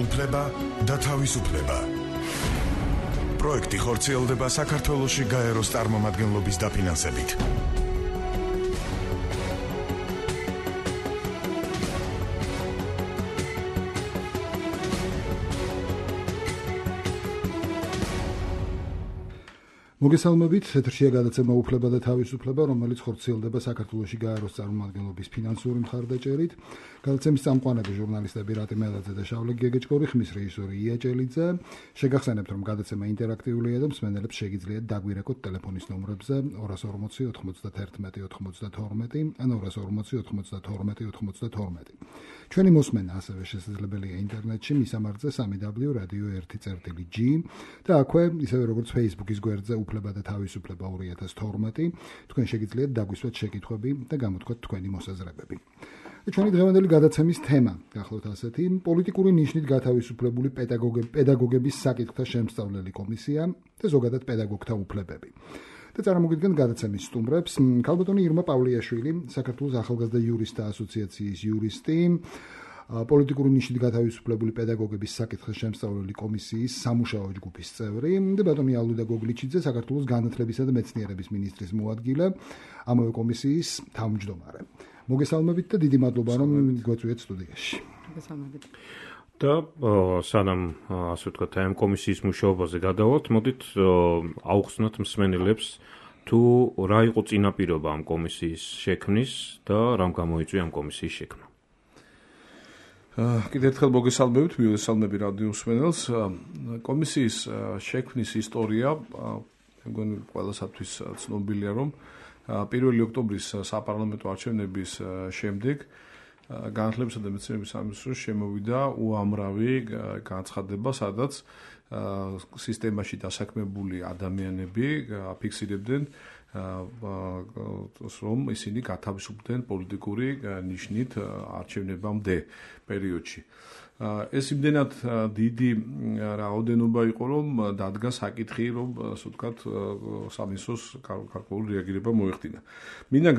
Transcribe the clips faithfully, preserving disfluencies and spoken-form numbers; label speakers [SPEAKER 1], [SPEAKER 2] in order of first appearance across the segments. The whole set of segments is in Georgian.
[SPEAKER 1] უფლება და თავისუფლება. პროექტი ხორციელდება საქართველოში გაეროს წარმომადგენლობის დაფინანსებით.
[SPEAKER 2] მოგესალმებით, ეთერშია გადაცემა უფლება და თავისუფლება, რომელიც ხორციელდება საქართველოში გაეროს წარმომადგენლობის ფინანსური მხარდაჭერით. გადაცემის წამყვანები ჟურნალისტები რატი მელაძე და შავლე გეგეჭკორი, ხმის რეჟისორი ია ჭელიძე. შეგახსენებთ, რომ გადაცემა ინტერაქტიულია და მსმენელებს შეგიძლიათ დაგვირეკოთ ტელეფონის ნომრებზე ორას ორმოცი ოთხმოცდათერთმეტი ოთხმოცდათორმეტი ან ორას ორმოცი ოთხმოცდათორმეტი ოთხმოცდათორმეტი. ჩვენი მოსმენა ასევე შესაძლებელია ინტერნეტში მისამართზე სამი დაბლიუ რადიო ერთი წერტილი ჯი და აქვე, ისევე როგორც Facebook-ის გვერდზე უფლება და თავისუფლება ორი ათას თორმეტი, თქვენ შეგიძლიათ დაგვისვათ შეკითხვები და გამოთქვათ თქვენი მოსაზრებები. ჩვენი დღევანდელი გადაცემის თემა გახლავთ ასეთი: პოლიტიკური ნიშნით გათავისუფლებული პედაგოგების საკითხთა შემსწავლელი კომისია და ზოგადად პედაგოგთა უფლებები. და წარმოგიდგენთ გადაცემის სტუმრებს: ქალბატონი ირმა პავლიაშვილი, საქართველოს ახალგაზრდა იურისტთა ასოციაციის იურისტი, პოლიტიკური ნიშნით გათავისუფლებული პედაგოგების საკითხთა შემსწავლელი კომისიის სამუშაო ჯგუფის წევრი და ბატონი ალუდა გოგლიჩიძე, საქართველოს განათლებისა და მეცნიერების მინისტრის მოადგილე, ამავე კომისიის თავმჯდომარე. მოგესალმებით და დიდი მადლობა, რომ გვეწვიეთ სტუდიაში.
[SPEAKER 3] მოგესალმებით.
[SPEAKER 4] და სანამ ასე ვთქვათ, ამ კომისიის მუშაობაზე გადავალთ, მოდით აუხსნათ მსმენელებს თუ რა იყო წინაპირობა ამ კომისიის შექმნის და რამ გამოიწვია ამ კომისიის შექმნა.
[SPEAKER 5] კიდევ ერთხელ მოგესალმებით, მივესალმები რადიო მსმენელს. კომისიის შექმნის ისტორია მეგონი ყველასათვის ცნობილია, რომ პირველი ოქტომბრის საპარლამენტო არჩევნების შემდეგ განათლებისა და მეცნიერების სამინისტროს შემოვიდა უამრავი განცხადება, სადაც სისტემაში დასაქმებული ადამიანები აფიქსირებდნენ, რომ ისინი გათავისუფლდნენ პოლიტიკური ნიშნით არჩევნებამდე პერიოდში. ეს იმდენად დიდი რაოდენობა იყო, რომ დადგა საკითხი, რომ ასე ვთქვათ, სამინისტროს გარკვეული რეაგირება მოეხდინა. მინდა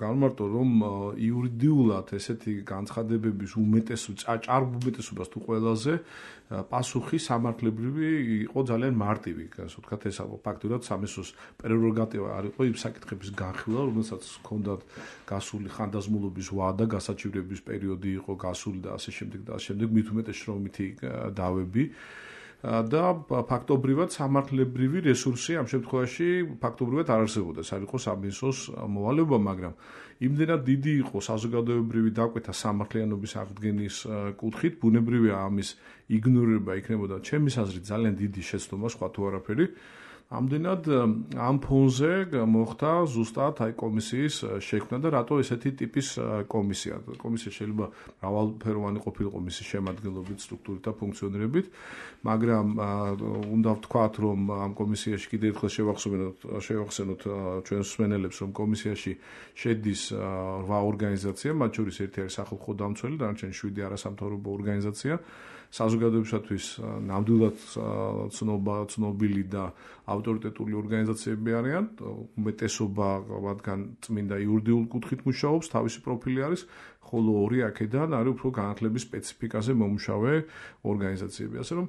[SPEAKER 5] განმარტო, რომ იურიდიულად ესეთი განცხადებების უმეტესობა, ჭარბ უმეტესობას თუ ყველაზე პასუხი სამართლებრივი იყო ძალიან მარტივი. ასე ვთქვათ, ეს ფაქტურად სამინისტროს პრეროგატივა არ იყო იმ საკითხების განხილვა, რომელსაც ჰქონდათ გასული ხანდაზმულობის ვადა, გასაჩივრების პერიოდი იყო გასული და ასე შემდეგ და შემდეგ მით უმეტეს შრომითი დავები და ფაქტობრივად სამართლებრივი რესურსი ამ შემთხვევაში ფაქტობრივად არ არსებობდა. ეს არ იყო სამინისტროს მოვალეობა, მაგრამ იმდენად დიდი იყო საზოგადოებრივი დაკვეთა სამართლიანობის აღდგენის კუთხით, ბუნებრივია ამის იგნორირება იქნებოდა ჩემის აზრით ძალიან დიდი შეცდომა, სხვა თუ არაფერი. ამდენად ამ ფონზე მოხდა ზუსტად აი კომისიის შექმნა და რატო ესეთი ტიპის კომისია. კომისია შეიძლება მრავალფეროვანი ყოფილიყო მისი შემადგენლობით, სტრუქტურით და ფუნქციონირებით, მაგრამ უნდა ვთქვათ, რომ ამ კომისიაში კიდევ ერთხელ შევახსენოთ, შევახსენოთ ჩვენს მსმენელებს, რომ კომისიაში შედის რვა ორგანიზაცია, მათ შორის ერთი არის სახალხო დამცველი, დანარჩენი შვიდი არასამთავრობო ორგანიზაცია. საზოგადოებისათვის ნამდვილად ცნობა, ცნობილი და ავტორიტეტული ორგანიზაციები არიან. უმეტესობა მათგან წმინდა იურიდიულ კუთხით მუშაობს, თავისი პროფილი არის, ხოლო ორი აქედან არის უფრო განათლების სპეციფიკაზე მომუშავე ორგანიზაციები. ასე რომ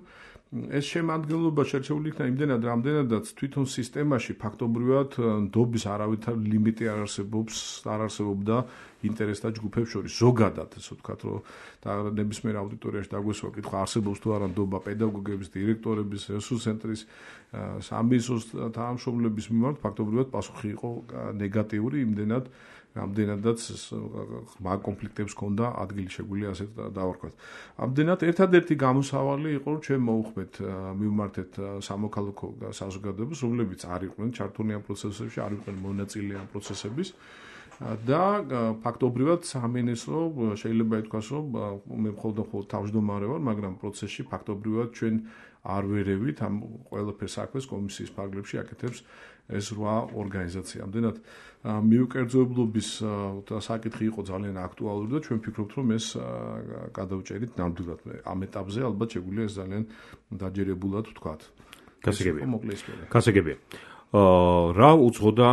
[SPEAKER 5] ეს შემადგენლობა შერჩეული იქნა იმდენად, რამდენადაც თვითონ სისტემაში ფაქტობრივად ნდობის არავითარ ლიმიტი არ არსებობს, არ არსებობდა ინტერესთა ჯგუფებს შორის. ზოგადად, ასე ვთქვათ, რომ და ნებისმიერ აუდიტორიაში დაგვესვა კითხვა, არსებობს თუ არა ნდობა პედაგოგების, დირექტორების, რესურს ცენტრის, სამინისტროს თანამშრომლების მიმართ, ფაქტობრივად პასუხი იყო ნეგატიური, იმდენად ამდენადაც ღრმა კონფლიქტებს ჰქონდა ადგილი შეგვიძლია ასე დავარქვათ. ამდენად ერთადერთი გამოსავალი იყო, რომ ჩვენ მოუხმეთ, მივმართეთ სამოქალაქო საზოგადოებას, რომლებიც არ იყვნენ ჩართული ამ პროცესებში, არ იყვნენ მონაწილე ამ პროცესების. და ფაქტობრივად სამინისტრო შეიძლება ითქვას, რომ მე მხოლოდ მხოლოდ თავმჯდომარე ვარ, მაგრამ პროცესში ფაქტობრივად ჩვენ არ ვერევით ამ ყველაფერს საქმეს კომისიის ფარგლებში აკეთებს ეს რვა ორგანიზაცია. ამდენად მიუკერძოებლობის საკითხი იყო ძალიან აქტუალური და ჩვენ ვფიქრობთ, რომ ეს გადავჭერით ნამდვილად. ამ ეტაპზე ალბათ შეგვიძლია ეს ძალიან დაჯერებულად ვთქვათ.
[SPEAKER 4] გასაგებია. გასაგებია. აა რა უძღოდა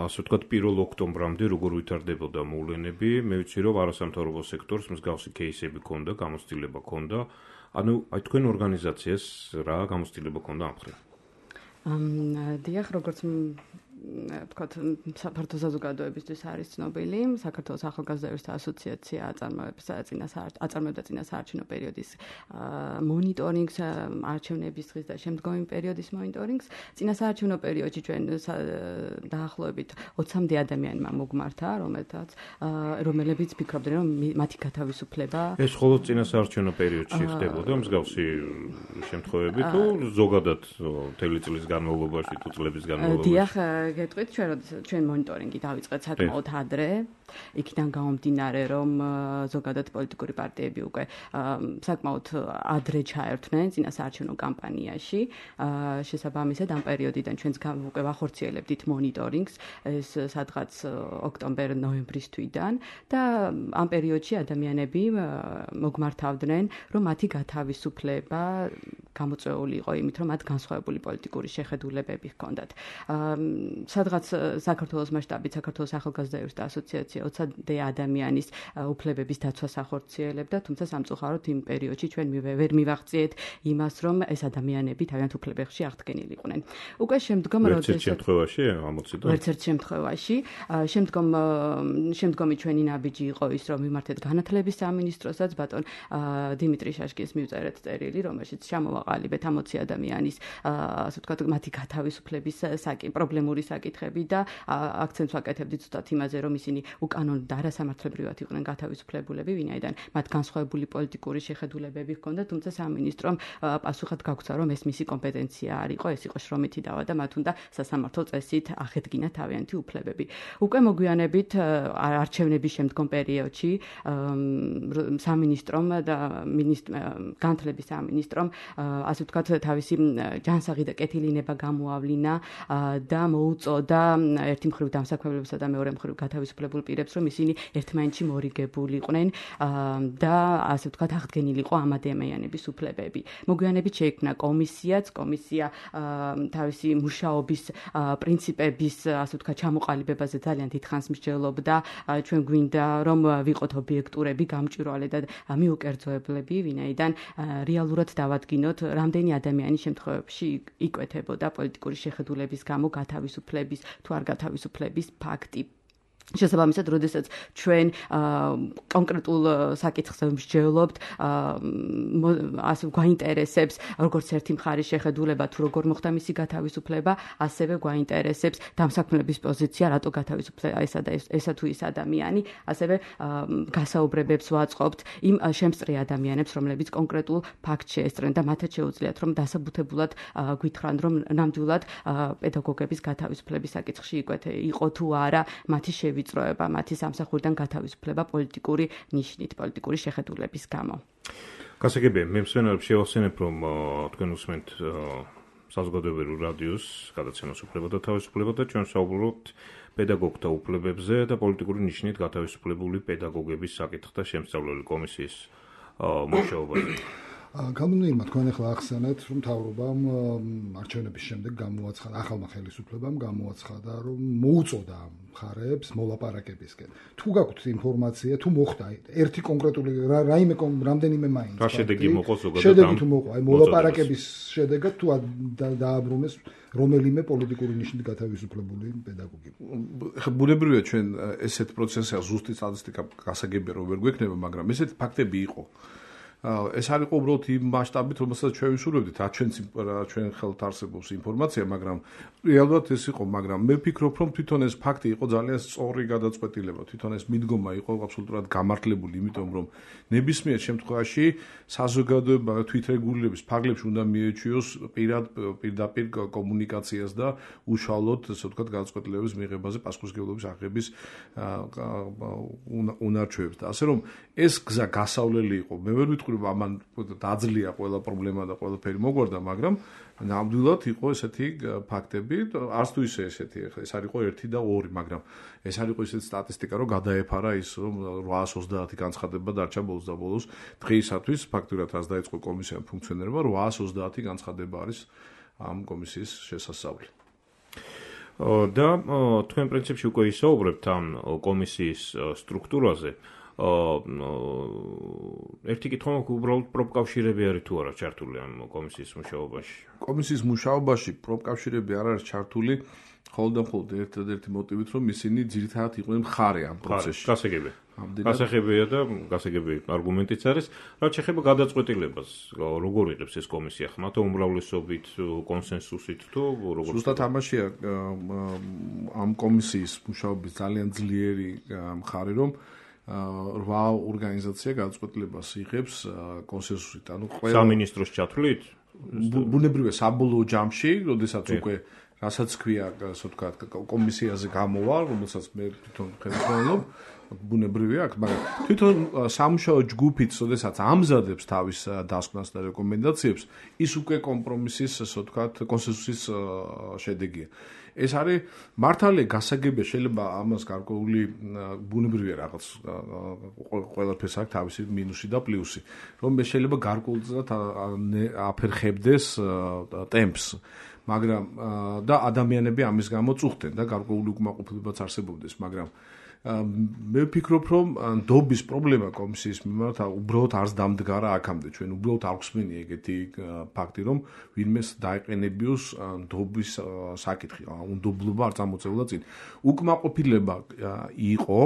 [SPEAKER 4] ასე ვთქვათ პირველ ოქტომბრამდე როგორ ვითარდებოდა მოვლენები, მე ვიცი რომ არასამთავრობო სექტორს მსგავსი кейსები ჰქონდა, გამოცდილება ჰქონდა. ანუ აი თქვენ ორგანიზაციას რა გამოცდილება ჰქონდა ამ ხრით?
[SPEAKER 3] ამ დიახ, როგორც ვთქვათ, საფართო საზოგადოებისთვის არის ცნობილი, საქართველოს ახალგაზრდათა ასოციაცია აწარმოებს აწარმოებდა წინასაარჩევნო პერიოდის მონიტორინგს, არჩევნების დღის და შემდგომი პერიოდის მონიტორინგს. წინასაარჩევნო პერიოდში ჩვენ დაახლოებით ოცამდე ადამიანმა მოგმართა, რომელთაც რომლებიც ფიქრობდნენ, რომ მათი გათავისუფლება
[SPEAKER 4] ეს მხოლოდ წინასაარჩევნო პერიოდში ხდებოდა მსგავსი შემთხვევები თუ ზოგადად მთელი წლის განმავლობაში თუ წლების განმავლობაში?
[SPEAKER 3] დიახ, გეტყვით, ჩვენ ჩვენ მონიტორინგი დავიწყეთ საკმაოდ ადრე, იქიდან გამომდინარე, რომ ზოგადად პოლიტიკური პარტიები უკვე საკმაოდ ადრე ჩაერთვნენ წინასაარჩევნო კამპანიაში. შესაბამისად, ამ პერიოდიდან ჩვენც უკვე ვახორციელებდით მონიტორინგს, ეს სადღაც ოქტომბერ-ნოემბრის თვიდან და ამ პერიოდში ადამიანები მოგმართავდნენ, რომ მათი გათავისუფლება გამოწვეული იყო იმით, რომ მათ განსხვავებული პოლიტიკური შეხედულებები ჰქონდათ. სადღაც საქართველოს მასშტაბით საქართველოს ახალგაზრდათა ასოციაცია ოცამდე ადამიანის უფლებების დაცვას ახორციელებდა, თუმცა სამწუხაროდ იმ პერიოდში ჩვენ ვერ მივაღწიეთ იმას, რომ ეს ადამიანები თავიანთ უფლებებში აღდგენილი იყვნენ. უკვე შემდგომ
[SPEAKER 4] როდესაც შემთხვევაში ამოციდა
[SPEAKER 3] ერთ ერთ შემთხვევაში, შემდგომ შემდგომი ჩვენი ნაბიჯი იყო ის, რომ მიმართეთ განათლების სამინისტროსაც, ბატონ დიმიტრი შაშკის მივწერეთ წერილი, რომელშიც ჩამოვაყალიბეთ ამოცი ადამიანის, ასე ვთქვათ, მათი გათავისუფლების საკითხი, პრობლემური საკითხები და აქცენტს ვაკეთებდით ზუსტად იმაზე, რომ ისინი უკანონო და არასამართლებრივად იყვნენ გათავისუფლებულები, ვინაიდან მათ განსხვავებული პოლიტიკური შეხედულებები ჰქონდათ, თუმცა სამინისტრომ პასუხად გაგვცა, რომ ეს მისი კომპეტენცია არ იყო, ეს იყო შრომითი დავა და მათ უნდა სასამართლო წესით აღედგინა თავიანთი უფლებები. უკვე მოგვიანებით არჩევნების შემდგომ პერიოდში სამინისტრომ და განათლების სამინისტრომ, ასე ვთქვათ, თავისი ჯანსაღი და კეთილინება გამოავლინა და მოუწოდა ერთი მხრივ დამსაქმებლებსა და მეორე მხრივ გათავისუფლებულ პირებს, რომ ისინი ერთმანეთში მორიგებული იყვნენ და ასე ვთქვათ, აღდგენილიყო ამ ადამიანების უფლებები. მოგვიანებით შეიქმნა კომისიაც, კომისია თავისი მუშაობის პრინციპების, ასე ვთქვათ, ჩამოყალიბებაზე ძალიან დიდხანს მსჯელობდა. ჩვენ გვინდა, რომ ვიყოთ ობიექტურები, გამჭვირვალე და მიუკერძოებლები, ვინაიდან რეალურად დავადგინოთ, რამდენი ადამიანის შემთხვევებში იკვეთებოდა პოლიტიკური შეხედულების გამო გათავისუფლების თუ არ გათავისუფლების ფაქტი. შესაბამისად, როდესაც ჩვენ კონკრეტულ საკითხს ვმსჯელობთ, ასე გვაინტერესებს როგორც ერთი მხარის შეხედულება თუ როგორ მოხდა მისი გათავისუფლება, ასევე გვაინტერესებს დამსაქმლების პოზიცია, რატო გათავისუფლება ესა და ესა თუ ის ადამიანი, ასევე გასაუბრებებს ვაწყობთ იმ შემსწრე ადამიანებს, რომლებიც კონკრეტულ ფაქტს შეესწრნენ და მათაც შეუძლიათ, რომ დასაბუთებულად გვითხრან, რომ ნამდვილად პედაგოგების გათავისუფლების საკითხში იყო თუ არა მათი ვიწროება მათი სამსახურიდან გათავისუფლება პოლიტიკური ნიშნით, პოლიტიკური შეხედულების გამო.
[SPEAKER 4] გასაგებია, მე მსმენელებს შევახსენებ, რომ თქვენ უსმენთ საზოგადოებრივ რადიოს გადაცემას უფლება და თავისუფლება და ჩვენ საუბრობთ პედაგოგთა უფლებებზე და პოლიტიკური ნიშნით გათავისუფლებული პედაგოგების საკითხთა შემსწავლელი კომისიის მუშაობაზე.
[SPEAKER 2] კანონიერმა თქვენ ახლა ახსენეთ, რომ მთავრობამ არჩევნების შემდეგ გამოაცხადა, ახალმა ხელისუფლებამ გამოაცხადა, რომ მოუწოდა მხარეებს მოლაპარაკებისკენ. თუ გაქვთ ინფორმაცია, თუ მოხდა ერთი კონკრეტული რაიმე რამდენიმე მაინც.
[SPEAKER 4] რა შედეგი მოყვა ზოგადად?
[SPEAKER 2] შედეგი თუ მოყვა, აი მოლაპარაკების შედეგად თუ დააბრუნეს რომელიმე პოლიტიკური ნიშნით გათავისუფლებული პედაგოგი.
[SPEAKER 5] ხა ბუნებრივია ჩვენ ესეთ პროცესია ზუსტი სტატისტიკა გასაგებია რომ ვერ გვექნება, მაგრამ ესეთი ფაქტები იყო. ეს არ იყო უბრალოდ იმ მასშტაბით, რომელსაც ჩვენ ვისურვებდით, რა ჩვენ ჩვენ ხელთ არსებობს ინფორმაცია, მაგრამ რეალურად ეს იყო, მაგრამ მე ვფიქრობ, რომ თვითონ ეს ფაქტი იყო ძალიან სწორი გადაწყვეტილება, თვითონ ეს მიდგომა იყო აბსოლუტურად გამართლებული, იმიტომ რომ ნებისმიერ შემთხვევაში საზოგადოება თვითრეგულირების ფარგლებში უნდა მიეჩვიოს პირად პირდაპირ კომუნიკაციას და უშუალოდ, ასე ვთქვათ, გადაწყვეტილებების მიღებაზე პასუხისმგებლობის აღების უნარჩვევებს და ასე რომ ეს გზა გასავლელი იყო. მე ვერ ვიტყვი ამან დაძლია ყველა პრობლემა და ყველაფერი მოგვარდა, მაგრამ ნამდვილად იყო ესეთი ფაქტები, არც თუ ისე ესეთი, ეს არ იყო ერთი და ორი, მაგრამ ეს არ იყო ისეთი სტატისტიკა, რომ გადაეფარა ის, რომ რვაას ოცდაათი განცხადება დარჩა ბოლოს და ბოლოს დღეისათვის ფაქტურად რაც დაიწყო კომისიამ ფუნქციონირება, რვაას ოცდაათი განცხადება არის ამ კომისიის შესასწავლი.
[SPEAKER 4] და თქვენ პრინციპში უკვე ისაუბრებთ ამ კომისიის სტრუქტურაზე. ერთი კითხვა მაქვს, უბრალოდ პროფკავშირები არის თუ არა ჩართული ამ კომისიის მუშაობაში?
[SPEAKER 5] კომისიის მუშაობაში პროფკავშირები არ არის ჩართული, ხოლმე და მხოლოდ ერთადერთი მოტივით, რომ ისინი ძირითადად იყვნენ მხარე ამ პროცესში.
[SPEAKER 4] გასაგები. გასაგებია და გასაგები არგუმენტიც არის, რაც შეეხება გადაწყვეტილებას, როგორ იღებს ეს კომისია, ხმათა უმრავლესობით, კონსენსუსით თუ როგორ?
[SPEAKER 5] ზუსტად ამაშია ამ კომისიის მუშაობის ძალიან ძლიერი მხარე, რომ რვა ორგანიზაცია გადაწყვეტილებას იღებს კონსენსუსით. ანუ ყველა
[SPEAKER 4] სამინისტროს ჩათვლით?
[SPEAKER 5] ბუნებრივია საბოლოო ჯამში, როდესაც უკვე რასაც ქვია, ასე ვთქვათ, კომისიაზე გამოვა, რომელსაც მე თვითონ ხელმძღვანელობ, ბუნებრივია აქ, მაგრამ თვითონ სამუშაო ჯგუფიც, როდესაც ამზადებს თავის დასკვნას და რეკომენდაციებს, ის უკვე კომპრომისის, ასე ვთქვათ, კონსენსუსის შედეგია. ეს არის მართალია გასაგებია, შეიძლება ამას გარკვეული ბუნებრივია რაღაც ყველაფერს აქვს თავისი მინუსი და პლუსი, რომ ეს შეიძლება გარკვეულწილად აფერხებდეს ტემპს, მაგრამ და ადამიანები ამის გამო წუხდნენ და გარკვეული უკმაყოფილებაც არსებობდეს, მაგრამ მე ვფიქრობ, რომ ნდობის პრობლემა კომისიის მიმართ უბრალოდ არც დამდგარა აქამდე. ჩვენ უბრალოდ არ გვსმენია ეგეთი ფაქტი, რომ ვინმეს დაეყენებიოს ნდობის საკითხი, უნდობლობა არ წამოწევლა წინ. უკმაყოფილება იყო,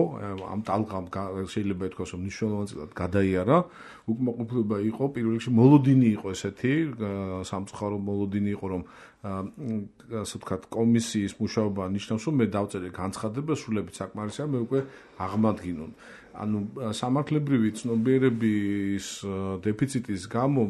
[SPEAKER 5] ამ ტალღამ შეიძლება ითქვას, რომ მნიშვნელოვანად გადაიარა. უკმაყოფილება იყო, პირველ რიგში მოლოდინი იყო ესეთი, სამწუხარო მოლოდინი იყო, რომ ასე ვთქვათ, კომისიის მუშაობა ნიშნავს, რომ მე დავწერე განცხადება, სრულებით საკმარისია, მე უკვე აღმადგინონ. ანუ სამართლებრივი ცნობიერების დეფიციტის გამო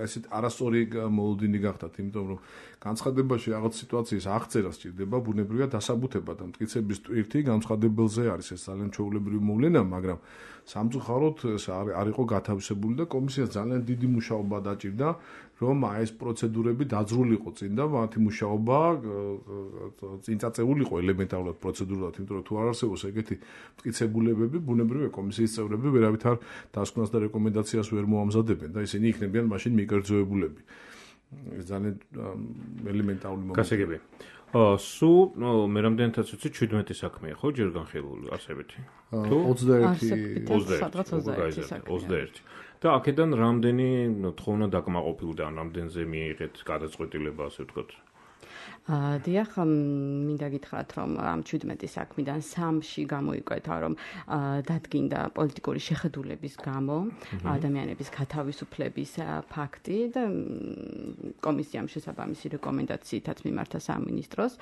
[SPEAKER 5] ესეთ არასწორი მოლოდინი გახდათ, იმიტომ რომ განცხადებაში რაღაც სიტუაციის აღწერა სჭირდება, ბუნებრივია დასაბუთება და მტკიცების ტვირთი განცხადებელზე არის, ეს ძალიან ჩვეულებრივი მოვლენა, მაგრამ სამწუხაროდ ეს არ იყო გათავისებული და კომისიას ძალიან დიდი მუშაობა დაჭირდა, რომ აი ეს პროცედურები დაძრულიყო წინ და მათი მუშაობა წინ წაწეულიყო ელემენტარულად პროცედურულად, იმიტომ რომ თუ არ არსებობს ეგეთი მტკიცებულებები, ბუნებრივია კომისიის წევრები ვერავითარ დასკვნას და რეკომენდაციას ვერ მოამზადებენ და ისინი იქნებიან მაშინ მიკერძოებულები. ეს ძალიან ელემენტარული მომენტია.
[SPEAKER 4] გასაგებია. სუ მე რამდენადაც ვიცი, შვიდმეტი საქმეა, ხო, ჯერ განხილული არსებითი?
[SPEAKER 5] თუ ოცდაერთი
[SPEAKER 4] ოცდაერთი. და აქედან რამდენი თხოვნა დაკმაყოფილდა, რამდენზე მიიღეთ გადაწყვეტილება, ასე ვთქვათ?
[SPEAKER 3] დიახ, მინდა გითხრათ, რომ ამ შვიდმეტი საქმიდან სამში გამოიკვეთა, რომ დადგინდა პოლიტიკური შეხედულების გამო ადამიანების გათავისუფლების ფაქტი და კომისიამ შესაბამისი რეკომენდაციითაც მიმართა სამინისტროს.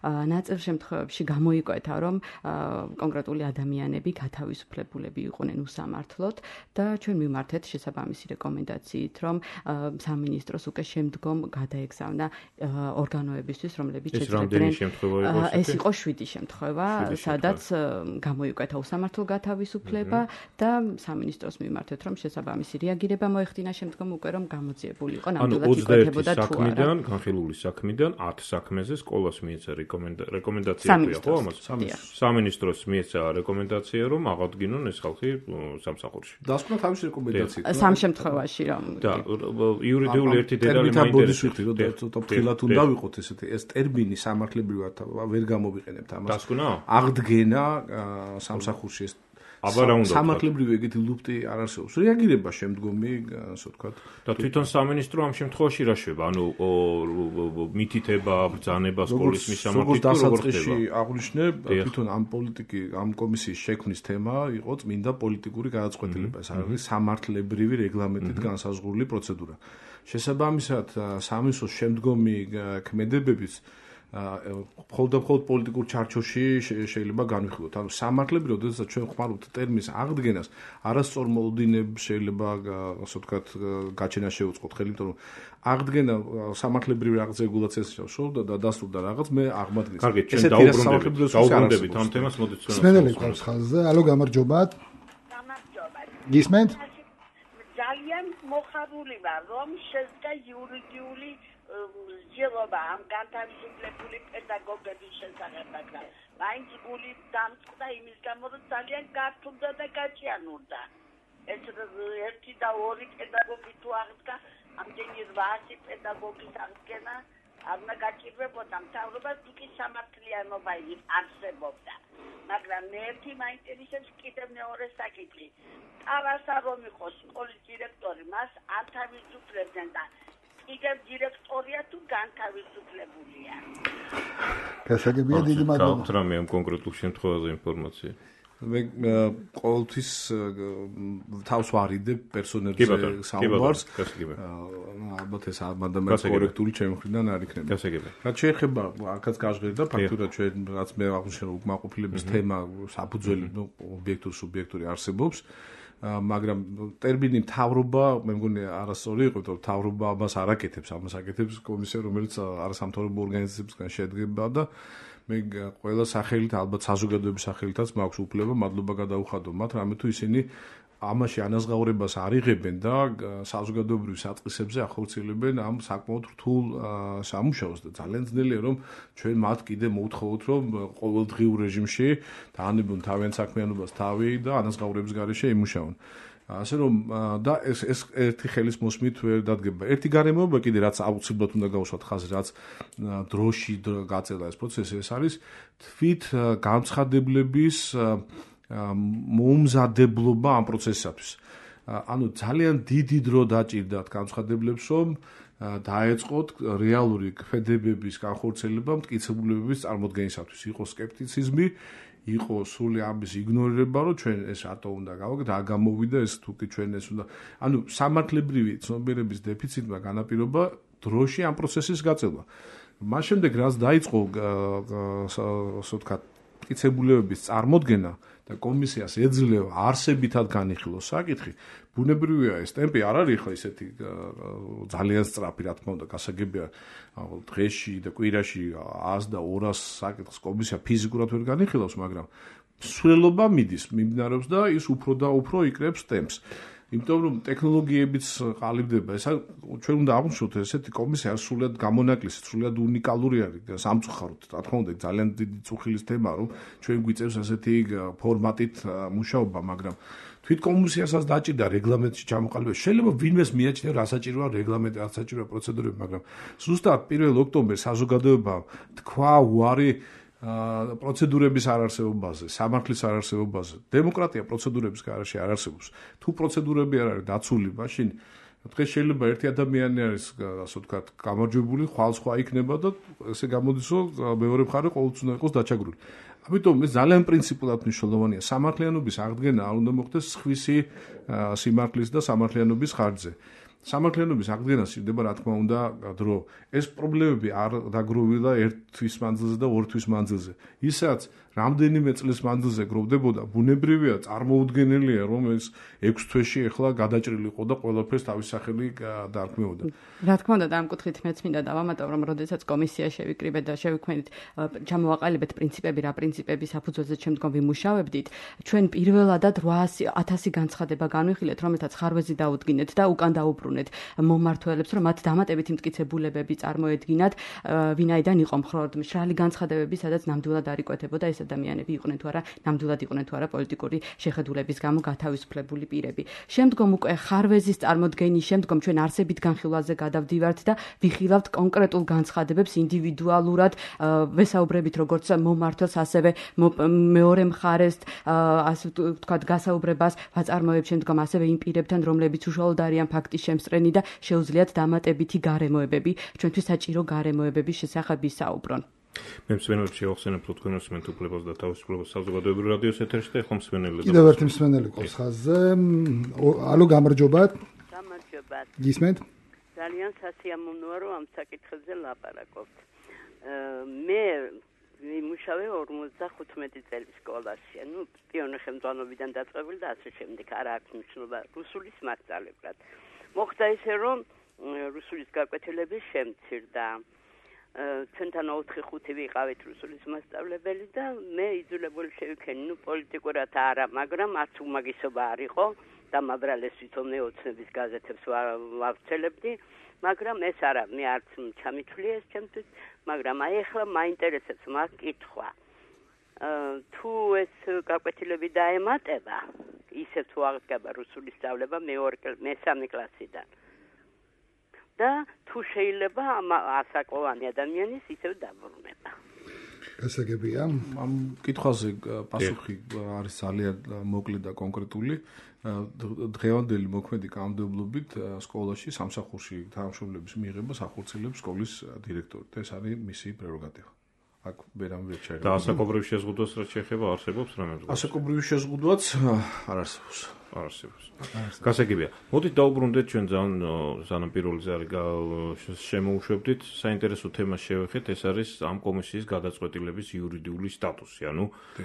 [SPEAKER 3] ნაწილ შემთხვევებში გამოიკვეთა, რომ კონკრეტული ადამიანები გათავისუფლებულები იყვნენ უსამართლოდ და ჩვენ მიმართეთ შესაბამისი რეკომენდაციით, რომ სამინისტროს უკვე შემდგომ გადაეგზავნა ორგანოებისთვის, რომლებიც
[SPEAKER 4] შეძლებდნენ
[SPEAKER 3] ეს იყო შვიდი შემთხვევა, სადაც გამოიკვეთა უსამართლო გათავისუფლება და სამინისტროს მიმართეთ, რომ შესაბამისი რეაგირება მოეხდინა შემდგომ უკვე რომ გამოძიებული იყო ნამდვილად იკვეთებოდა თუ არა.
[SPEAKER 4] საქმიდან, განხილული საქმიდან ათ საქმეზე სკოლას მიეცა რეკომენდაცია ხო ამას? სამინისტროს მიეცა რეკომენდაცია, რომ აღადგინონ ეს ხალხი სამსახურში.
[SPEAKER 5] დასკვნა თავის რეკომენდაციით.
[SPEAKER 3] სამ შემთხვევაში რომ
[SPEAKER 4] და იურიდიული ერთი დეტალი
[SPEAKER 5] მაინტერესებს, რომ ცოტა ფრთხილად უნდა ვიყოთ ესეთი ეს ტერმინი სამართლებრივად ვერ გამოვიყენებთ ამას.
[SPEAKER 4] დასკვნა?
[SPEAKER 5] აღდგენა სამსახურში ეს
[SPEAKER 4] აბა რა უნდა
[SPEAKER 5] სამართლებრივი ეგეთი ლუფტი არ არსებობს. რეაგირება შემდგომი, ასე ვთქვათ.
[SPEAKER 4] და თვითონ სამინისტრო ამ შემთხვევაში რა შვება? ანუ მითითება, ბრძანება სკოლის მისამართით
[SPEAKER 5] როგორ ხდება? აღვნიშნებ, თვითონ ამ პოლიტიკი, ამ კომისიის შექმნის თემა იყო წმინდა პოლიტიკური გადაწყვეტილება. ეს არის სამართლებრივი რეგლამენტით განსაზღვრული პროცედურა. შესაბამისად, სამინისტროს შემდგომი ქმედებებიც მხოლოდ და მხოლოდ პოლიტიკურ ჩარჩოში შეიძლება განვიხილოთ. ანუ სამართლებრივად, როდესაც ჩვენ ხმარობთ ტერმინს აღდგენას, არასწორ მოლოდინებს შეიძლება, ასე ვთქვათ, გაჩენა შევუწყოთ ხელი, იმიტომ რომ აღდგენა სამართლებრივი რაღაც რეგულაციას შეუშოვდა და დასრულდა რაღაც, მე აღმადგინე.
[SPEAKER 4] კარგი, ჩვენ დაუბრუნდებით, დაუბრუნდებით ამ თემას, მოდით ჩვენ.
[SPEAKER 2] სმენელი ყავს ხაზზე. ალო, გამარჯობათ.
[SPEAKER 6] გამარჯობათ.
[SPEAKER 2] გისმენთ?
[SPEAKER 6] ძალიან მოხარული ვარ, რომ შედგა იურიდიული ძილობა ამ განთავისუფლებული პედაგოგების შესახებ, მაგრამ მაინც გული დამწყდა იმის გამო, რომ ძალიან გართულდა და გაჭიანურდა. ეს ერთი და ორი პედაგოგი თუ აღდგა, ამდენი რვაასი პედაგოგის აღდგენა არ უნდა გაჭირვებოდა მთავრობას თუკი სამართლიანობა არსებობდა. მაგრამ მე ერთი მაინტერესებს კიდევ მეორე საკითხი. ტარასა რომ იყოს სკოლის დირექტორი, მას ანთავისუფლებდნენ და კიდევ დირექტორია თუ განთავისუფლებულია.
[SPEAKER 2] გასაგებია დიდი მადლობა.
[SPEAKER 4] გავთ რამე ამ კონკრეტულ შემთხვევაზე ინფორმაცია.
[SPEAKER 5] მე ყოველთვის თავს ვარიდებ პერსონებზე საუბარს. ალბათ ეს ამადამაც კორექტული ჩემი მხრიდან არ იქნება.
[SPEAKER 4] გასაგებია.
[SPEAKER 5] რაც შეეხება აქაც გაჟღერდა ფაქტურად ჩვენ რაც მე აღნიშნე უკმაყოფილების თემა საფუძველი ობიექტური სუბიექტური არსებობს. მაგრამ ტერმინი მთავრობა მე მგონი არასწორი იყო, თორე მთავრობა ამას არ აკეთებს, ამას აკეთებს კომისია, რომელიც არასამთავრობო ორგანიზაციებისგან შედგება და მე ყველა სახელით, ალბათ საზოგადოების სახელითაც მაქვს უფლება მადლობა გადაუხადო მათ, რამე თუ ისინი ამაში ანაზღაურებას არ იღებენ და საზოგადოებრივ საწყისებზე ახორციელებენ ამ საკმაოდ რთულ სამუშაოს და ძალიან ძნელია რომ ჩვენ მათ კიდე მოუთხოვოთ რომ ყოველდღიურ რეჟიმში დაანებონ თავიანთ საქმიანობას თავი და ანაზღაურების გარეშე იმუშაონ. ასე რომ და ეს ეს ერთი ხელის მოსმით ვერ დადგება. ერთი გარემოება კიდე რაც აუცილებლად უნდა გავუსვათ ხაზი, რაც დროში გაწელა ეს პროცესი, ეს არის თვით განცხადებლების მოუმზადებლობა ამ პროცესისათვის. ანუ ძალიან დიდი დრო დაჭირდათ განცხადებლებს, რომ დაეწყოთ რეალური ქმედებების განხორციელება მტკიცებულებების წარმოდგენისათვის. იყო სკეპტიციზმი, იყო სრული ამის იგნორირება, რომ ჩვენ ეს რატო უნდა გავაკეთოთ, რა გამოვიდა ეს თუკი ჩვენ ეს უნდა. ანუ სამართლებრივი ცნობიერების დეფიციტმა განაპირობა დროში ამ პროცესის გაწევა. მას შემდეგ რაც დაიწყო ასე ვთქვათ მტკიცებულებების წარმოდგენა და კომისიას ეძლევა არსებითად განიხილოს საკითხი, ბუნებრივია ეს ტემპი არ არის ხო ისეთი ძალიან სწრაფი, რა თქმა უნდა, გასაგებია დღეში და კვირაში ას და ორას საკითხს კომისია ფიზიკურად ვერ განიხილავს, მაგრამ სვლელობა მიდის, მიმდინარეობს და ის უფრო და უფრო იკრებს ტემპს. იმიტომ რომ ტექნოლოგიებიც ყალიბდება, ეს ჩვენ უნდა აღვნიშნოთ ესეთი კომისია სრულად გამონაკლისი, სრულად უნიკალური არის სამწუხაროდ. რა თქმა უნდა, ძალიან დიდი წუხილის თემაა, რომ ჩვენ გვიწევს ასეთი ფორმატით მუშაობა, მაგრამ თვით კომისიასაც დაჭირდა რეგლამენტში ჩამოყალიბება. შეიძლება ვინმეს მიაჩნია, რა საჭიროა რეგლამენტი, რა საჭიროა პროცედურები, მაგრამ ზუსტად პირველ ოქტომბერს საზოგადოებამ თქვა უარი პროცედურების არარსებობაზე, სამართლის არარსებობაზე. დემოკრატია პროცედურების გარეშე არ არსებობს. თუ პროცედურები არ არის დაცული, მაშინ დღეს შეიძლება ერთი ადამიანი არის, ასე ვთქვათ, გამარჯვებული, ხვალ სხვა იქნება და ესე გამოდის, რომ მეორე მხარე ყოველთვის უნდა იყოს დაჩაგრული. ამიტომ ეს ძალიან პრინციპულად მნიშვნელოვანია. სამართლიანობის აღდგენა არ უნდა მოხდეს სხვისი სიმართლის და სამართლიანობის ხარჯზე. სამართლიანობის აღდგენა სჭირდება, რა თქმა უნდა, დრო. ეს პრობლემები არ დაგროვილა ერთ თვის მანძილზე და ორ თვის მანძილზე. ისაც რამდენიმე წლის მანძილზე გროვდებოდა, ბუნებრივია, წარმოუდგენელია, რომ ეს ექვს თვეში ახლა გადაჭრილი იყო და ყველაფერს თავის სახელი დაარქმეოდა.
[SPEAKER 3] რა თქმა უნდა, და ამ კუთხით მეც მინდა დავამატო, რომ როდესაც კომისია შევიკრიბეთ და შევიქმნით, ჩამოვაყალიბეთ პრინციპები, რა პრინციპების საფუძველზე შემდგომ ვიმუშავებდით, ჩვენ პირველადად ათასი განცხადება განვიხილეთ, რომელთაც ხარვეზი დაუდგინეთ და უკან დაუბრუნეთ მომმართველებს, რომ მათ დამატებითი მტკიცებულებები წარმოედგინათ, ვინაიდან იყო მხოლოდ მშრალი განცხადებები, სადაც ნამდვილად არ იკვეთებოდა ეს ადამიანები იყვნენ თუ არა, ნამდვილად იყვნენ თუ არა პოლიტიკური შეხედულების გამო გათავისუფლებული პირები. შემდგომ უკვე ხარვეზის წარმოდგენის შემდგომ ჩვენ არსებით განხილვაზე გადავდივართ და ვიხილავთ კონკრეტულ განცხადებებს ინდივიდუალურად, ვესაუბრებით როგორც მომმართველს, ასევე მეორე მხარეს, ასე ვთქვათ, გასაუბრებას ვაწარმოებ შემდგომ ასევე იმ პირებთან, რომლებიც უშუალოდ არიან ფაქტის შემსწრენი და შეუძლიათ დამატებითი გარემოებები, ჩვენთვის საჭირო გარემოებების შესახებ ისაუბრონ.
[SPEAKER 4] მე მსმენელებს შევახსენებ, რომ თქვენ უსმენთ უფლებას და თავისუფლებას საზოგადოებრივ რადიოს ეთერში და ახლა მსმენელი.
[SPEAKER 2] კიდევ ერთი მსმენელი ყავს ხაზზე. ალო, გამარჯობათ.
[SPEAKER 7] გამარჯობათ.
[SPEAKER 2] გისმენთ?
[SPEAKER 7] ძალიან სასიამოვნოა, რომ ამ საკითხებზე ლაპარაკობთ. მე ვიმუშავე ორმოცდახუთმეტი წელი სკოლაში, ну, პიონერ ხელმძღვანელობიდან დაწყებული და ასე შემდეგ, არ აქვს მნიშვნელობა რუსულის მასწავლებლად. მოხდა ისე, რომ რუსულის გაკვეთილები შემცირდა. ჩვენთან ოთხი ხუთი ვიყავით რუსულის მასწავლებელი და მე იძულებული შევიქენი, ну, პოლიტიკურად არა, მაგრამ არც უმაგისობა არ იყო და მაბრალეს თვითონ ოცნების გაზეთებს ვავრცელებდი, მაგრამ ეს არა, მე არც ჩამითვლია ეს ჩემთვის, მაგრამ აი ახლა მაინტერესებს მაგ კითხვა. თუ ეს გაკვეთილები დაემატება, ისე თუ აღდგება რუსულის სწავლება მეორე მესამე კლასიდან. და თუ შეიძლება ამ ასაკოვანი ადამიანის ისევ დაბრუნება.
[SPEAKER 2] გასაგებია.
[SPEAKER 5] ამ კითხვაზე პასუხი არის ძალიან მოკლე და კონკრეტული. დღევანდელი მოქმედი კანონმდებლობით სკოლაში სამსახურში თანამშრომლების მიღებას ახორციელებს სკოლის დირექტორი. ეს არის მისი პრეროგატივა. აქ ვერამე შეიძლება.
[SPEAKER 4] და ასაკობრივ შეზღუდვას რაც შეეხება არსებობს რამე?
[SPEAKER 5] ასაკობრივ შეზღუდვაც არ არსებობს.
[SPEAKER 4] არ არსებობს. გასაგებია. მოდით დაუბრუნდეთ ჩვენ ძალიან სანამ პირველი ზარი შემოუშვებდით საინტერესო თემას შევეხეთ, ეს არის ამ კომისიის გადაწყვეტილების იურიდიული სტატუსი, ანუ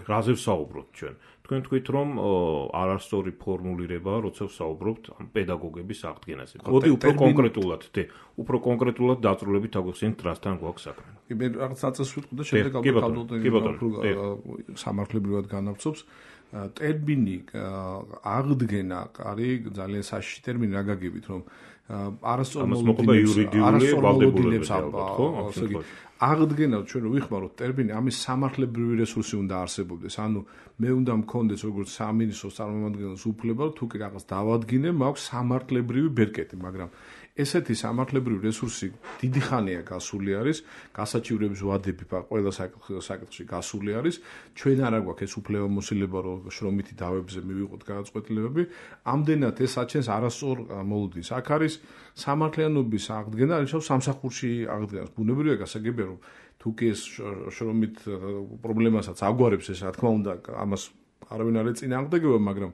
[SPEAKER 4] რაზე ვსაუბრობთ ჩვენ. თქვენ თქვით რომ არასწორი ფორმულირებაა, როცა ვსაუბრობთ ამ პედაგოგების აღდგენაზე. მოდი უფრო კონკრეტულად, დე, უფრო კონკრეტულად დაწვრილებით აგვიხსენეთ რასთან გვაქვს საქმე.
[SPEAKER 5] კი, მე რაღაც ნაწილს ვიტყვი და შემდეგ ალბათ სამართლებრივად განავცობს. ტერმინი აღდგენა არის ძალიან საშიში ტერმინი რა გაგებით რომ არასწორმოლოდინებს აღდგენა ჩვენ ვიხმაროთ ტერმინი ამის სამართლებრივი რესურსი უნდა არსებობდეს ანუ მე უნდა მქონდეს როგორც სამინისტროს წარმომადგენლის უფლება თუ კი რაღაც დავადგინე მაქვს სამართლებრივი ბერკეტი მაგრამ ესეთი სამართლებრივი რესურსი დიდი ხანია გასული არის, გასაჩივრების ვადები ყველა საკითხში გასული არის. ჩვენ არ აგვაქვს ეს უფლებამოსილება, რომ შრომითი დავებზე მივიღოთ გადაწყვეტილებები. ამდენად ეს აჩენს არასწორ მოლოდინს. აქ არის სამართლიანობის აღდგენა, არის სამსახურში აღდგენა. ბუნებრივია გასაგებია, რომ თუ კი ეს შრომით პრობლემასაც აგვარებს ეს, რა თქმა უნდა, ამას არავინ არ ეწინააღმდეგება, მაგრამ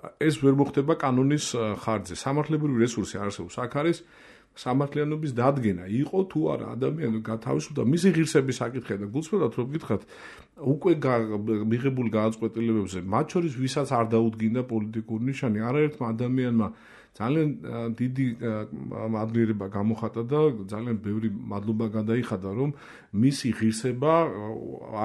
[SPEAKER 5] ეს ვერ მოხდება კანონის ხარჯზე. სამართლებრივი რესურსი არსებობს. აქ არის სამართლიანობის დადგენა. იყო თუ არა ადამიანი გათავისუფლდა მისი ღირსების საკითხია და გულწრფელად რომ გითხრათ, უკვე მიღებულ გადაწყვეტილებებზე, მათ შორის ვისაც არ დაუდგინდა პოლიტიკური ნიშანი, არაერთმა ადამიანმა ძალიან დიდი მადლიერება გამოხატა და ძალიან ბევრი მადლობა გადაიხადა, რომ მისი ღირსება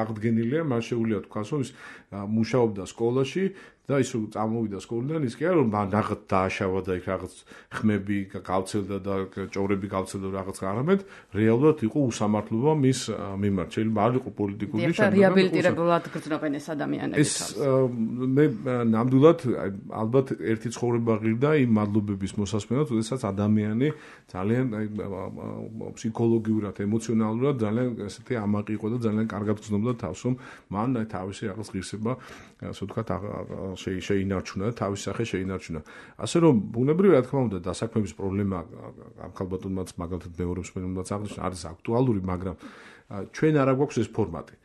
[SPEAKER 5] აღდგენილია, მას შეუძლია თქვას, რომ ის მუშაობდა სკოლაში და ის წამოვიდა სკოლიდან ის კი არა რომ რაღაც დააშავა და იქ რაღაც ხმები გავცელდა და ჭორები გავცელდა რაღაც არამედ რეალურად იყო უსამართლობა მის მიმართ შეიძლება არ იყო პოლიტიკური ნიშანი
[SPEAKER 3] და რეაბილიტირებულად გრძნობენ ეს ადამიანები
[SPEAKER 5] ეს მე ნამდვილად ალბათ ერთი ცხოვრება ღირდა იმ მადლობების მოსასმენად როდესაც ადამიანი ძალიან ფსიქოლოგიურად ემოციონალურად ძალიან ესეთი ამაყი იყო და ძალიან კარგად გრძნობდა თავს რომ მან თავისი რაღაც ღირსება ასე ვთქვათ შეინარჩუნა და თავის სახე შეინარჩუნა. ასე რომ ბუნებრივია რა თქმა უნდა დასაქმების პრობლემა ამ ხალბატონმაც მაგალითად მეორებს მენումაც აღნიშნა არის აქტუალური, მაგრამ ჩვენ არ აგვაქვს ეს ფორმატი.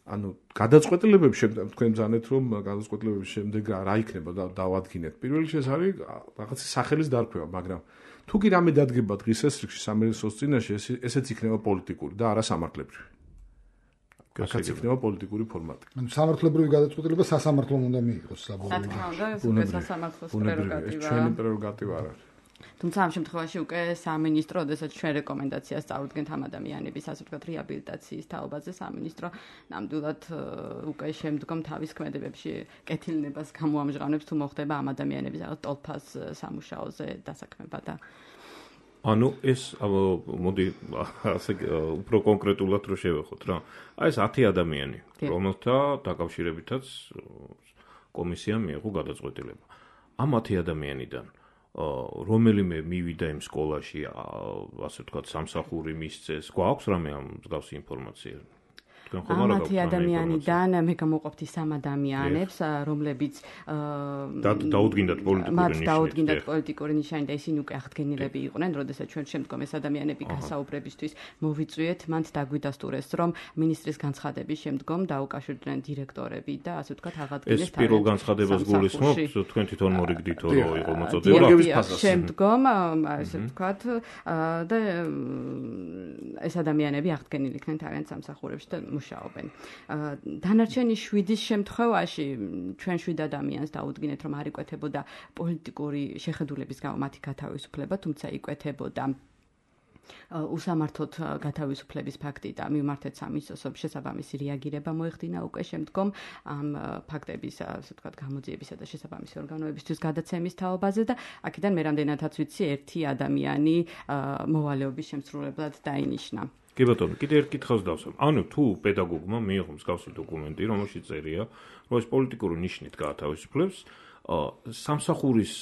[SPEAKER 5] ანუ გადაწყვეტილებების შემდეგ თქვენ ბრძანეთ რომ გადაწყვეტილებების შემდეგ რა იქნება და დავადგინეთ. პირველ რიგში ეს არის რაღაცის სახელის დარქმევა, მაგრამ თუ კი რამე დადგება დღის ესრიგში სამინისტროს წინაშე ესეც იქნება პოლიტიკური და არა სამართლებრივი. აქაც იქნება პოლიტიკური ფორმატი.
[SPEAKER 2] ანუ სამართლებრივი გადაწყვეტილება სასამართლომ უნდა მიიღოს საბოლოოდ.
[SPEAKER 3] რა თქმა უნდა, ეს უკვე სასამართლოს პრეროგატივაა.
[SPEAKER 5] ჩვენი პრეროგატივა არ არის.
[SPEAKER 3] თუმცა ამ შემთხვევაში უკვე სამინისტრო, როდესაც ჩვენ რეკომენდაციას წავუდგენთ ამ ადამიანების, ასე ვთქვათ, რეაბილიტაციის თაობაზე, სამინისტრო ნამდვილად უკვე შემდგომ თავის ქმედებებში კეთილნებას გამოამჟღავნებს თუ მოხდება ამ ადამიანების რაღაც ტოლფას სამუშაოზე დასაქმება და
[SPEAKER 4] ანუ ეს მოდი ასე უფრო კონკრეტულად რო შევეხოთ რა. აი ეს ათი ადამიანი, რომელთა დაკავშირებითაც კომისიამ მიიღო გადაწყვეტილება. ამ ათი ადამიანიდან რომელიმე მივიდა იმ სკოლაში, ასე ვთქვათ, სამსახური მისცეს, გვაქვს რამე ამ მსგავსი ინფორმაცია?
[SPEAKER 3] ამ ათი ადამიანიდან მე გამოვყოფთ ის ამ ადამიანებს, რომლებიც
[SPEAKER 4] დაუდგინდათ პოლიტიკური ნიშანი.
[SPEAKER 3] მათ დაუდგინდათ პოლიტიკური ნიშანი და ისინი უკვე აღდგენილები იყვნენ, როდესაც ჩვენ შემდგომ ეს ადამიანები გასაუბრებისთვის მოვიწვიეთ, მანდ დაგვიდასტურეს, რომ მინისტრის განცხადების შემდგომ დაუკავშირდნენ დირექტორები და ასე ვთქვათ, აღადგინეს
[SPEAKER 4] ეს პირველ განცხადებას გულისხმობთ, თქვენ თვითონ მორიგდით რომ იყო მოწოდება.
[SPEAKER 3] შემდგომ ასე ვთქვათ და ეს ადამიანები აღდგენილი იქნენ თავიანთ სამსახურებში და მუშაობენ. დანარჩენი შვიდის შემთხვევაში ჩვენ შვიდ ადამიანს დაუდგინეთ, რომ არ იკვეთებოდა პოლიტიკური შეხედულების გამო მათი გათავისუფლება, თუმცა იკვეთებოდა უსამართლოდ გათავისუფლების ფაქტი და მივმართეთ სამინისტროს შესაბამისი რეაგირება მოეხდინა უკვე შემდგომ ამ ფაქტების, ასე ვთქვათ, გამოძიებისა და შესაბამისი ორგანოებისთვის გადაცემის თაობაზე და აქედან მე რამდენადაც ვიცი, ერთი ადამიანი მოვალეობის შემსრულებლად დაინიშნა.
[SPEAKER 4] კი ბატონო, კიდე ერთ კითხვას დავსვამ. ანუ თუ პედაგოგმა მიიღო მსგავსი დოკუმენტი, რომელშიც წერია, რომ ეს პოლიტიკური ნიშნით გაათავისუფლებს, სამსახურის,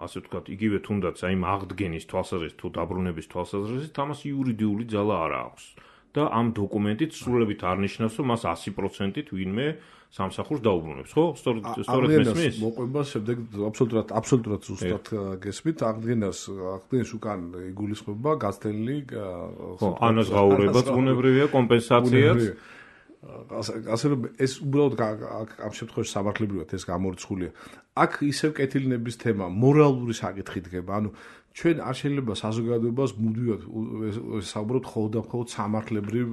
[SPEAKER 4] ასე ვთქვათ, იგივე თუნდაც აი იმ აღდგენის თვალსაზრისით თუ დაბრუნების თვალსაზრისით ამას იურიდიული ძალა არ აქვს. და ამ დოკუმენტით სრულებით არ ნიშნავს, რომ მას ასი პროცენტით ვინმე სამსახურს დაუბრუნებს, ხო? სწორედ სწორედ მესმის?
[SPEAKER 5] მოყვება შემდეგ აბსოლუტურად აბსოლუტურად ზუსტად გესმით, აღდგენას აღდგენის უკან იგულისხმება გაცდენილი
[SPEAKER 4] ხო, ანაზღაურებაც ბუნებრივია, კომპენსაციაც.
[SPEAKER 5] ასე რომ ეს უბრალოდ ამ შემთხვევაში სამართლებრივად ეს გამორიცხულია. აქ ისევ კეთილინების თემა მორალური საკითხი დგება, ანუ ჩვენ არ შეიძლება საზოგადოებას მუდმივად საუბრობთ მხოლოდ და მხოლოდ სამართლებრივ